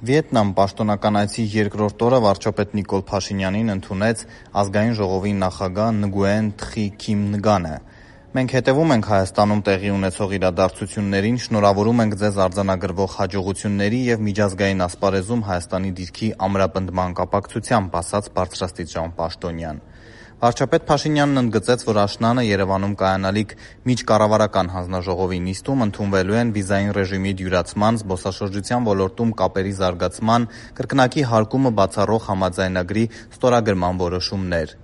Վիետնամ պաշտոնական այցի երկրորդ օրը վարչապետ Նիկոլ Փաշինյանին ընդունեց Ազգային ժողովի նախագահ Նգուեն Թխի Քիմ Նգանը: «Մենք հետևում ենք Հայաստանում տեղի ունեցող իրադարձություններին, շնորհավորում ենք ձեզ արձանագրվող հաջողությունների և միջազգային ասպարեզում Հայաստանի դիրքի ամրապնդման կապակցությամբ», ասաց բարձրաստիճան պաշտոնյան: Վարչապետ Փաշինյանն ընդգծեց, որ աշնանը Երևանում կայանալիք միջկառավարական հանձնաժողովի նիստում ընդունվելու են վիզային ռեժիմի դյուրացման, զբոսաշրջության ոլորտում կապերի զարգացման, կրկնակի հարկումը բացառող համաձայնագրի ստորագրման որոշումներ: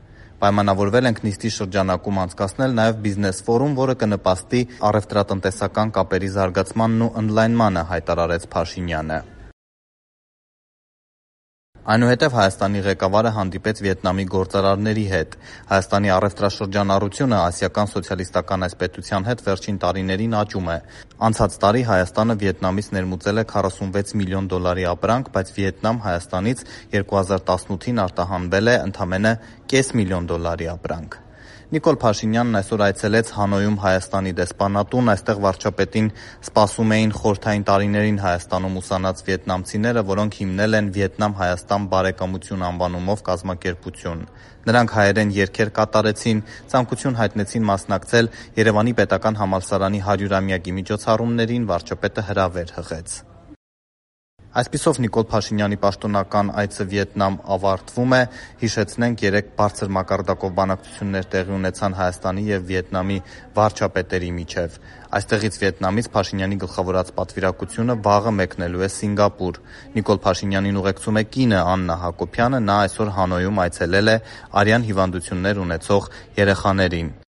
Պայմանավորվել ենք նիստի շրջանակում անցկացնել նաև բիզնես ֆորում, որը կնպաստի առևտրատնտեսական կապերի զարգացմանն ու ընդլայնմանը, հայտարարեց Փաշինյանը: Այնուհետև Հայաստանի ղեկավարը հանդիպեց Վիետնամի գործարարների հետ: Հայաստանի առևտրաշրջանառությունը Ասիական սոցիալիստական այս պետության հետ վերջին տարիներին աճում է: Անցած տարի Հայաստանը Վիետնամից ներմուծել է $46 միլիոն ապրանք, բայց Վիետնամ Հայաստանից 2018-ին արտահանվել է ընդամենը $500,000 ապրանք: Նիկոլ Փաշինյանն այսօր այցելեց Հանոյում Հայաստանի դեսպանատուն: Այստեղ վարչապետին սպասում էին խորհրդային տարիներին Հայաստանում ուսանած վիետնամցիները, որոնք հիմնել են «Վիետնամ-Հայաստան բարեկամություն» անվանումով կազմակերպություն: Նրանք հայերեն երգեր կատարեցին, ցանկություն հայտնեցին մասնակցել Երևանի պետական համալսարանի 100-ամյակի միջոցառումներին, վարչապետը հրավեր հղեց: Այսպիսով Նիկոլ Փաշինյանի պաշտոնական այցը Վիետնամ ավարտվում է: Հիշեցնենք, երեկ բարձր մակարդակով բանակցություններ տեղի ունեցան Հայաստանի և Վիետնամի վարչապետերի միջև: Այստեղից Վիետնամից Փաշինյանի գլխավորած պատվիրակությունը վաղը մեկնելու է Սինգապուր: Նիկոլ Փաշինյանին ուղեկցում է կինը Աննա Հակոբյանը: Նա այսօր Հանոյում այցելել է արյան հիվանդություններ ունեցող երեխաներին: